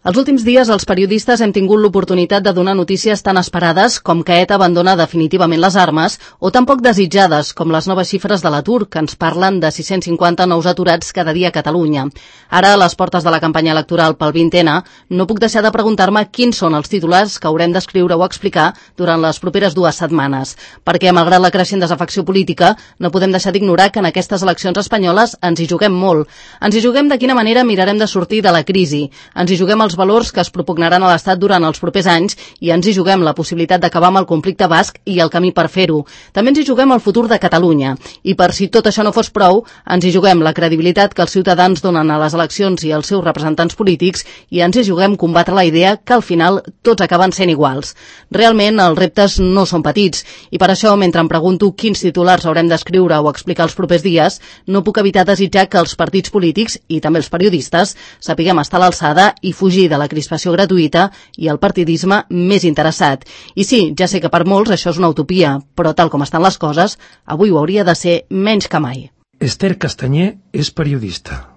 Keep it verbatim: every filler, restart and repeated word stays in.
Els últims dies els periodistes hem tingut l'oportunitat de donar notícies tan esperades com que ETA abandona definitivament les armes o tan poc desitjades com les noves xifres de l'atur, que ens parlen de sis-cents cinquanta nous aturats cada dia a Catalunya. Ara, a les portes de la campanya electoral pel vint ena, no puc deixar de preguntar-me quins són els titulars que haurem d'escriure o explicar durant les properes dues setmanes, perquè, malgrat la creixent desafecció política, no podem deixar d'ignorar que en aquestes eleccions espanyoles ens hi juguem molt. Ens hi juguem de quina manera mirarem de sortir de la crisi. Ens hi juguem els valors que es propugnaran a l'Estat durant els propers anys i ens hi juguem la possibilitat d'acabar amb el conflicte basc i el camí per fer-ho. També ens hi juguem el futur de Catalunya. I per si tot això no fos prou, ens hi juguem la credibilitat que els ciutadans donen a les eleccions i als seus representants polítics i ens hi juguem combatre la idea que al final tots acaben sent iguals. Realment, els reptes no són petits i per això, mentre em pregunto quins titulars haurem d'escriure o explicar els propers dies, no puc evitar desitjar que els partits polítics i també els periodistes sapiguem estar a l'alçada i fugir de la crispació gratuïta i el partidisme més interessat. I sí, ja sé que per molts això és una utopia, però tal com estan les coses, avui ho hauria de ser menys que mai. Esther Castanyer és periodista.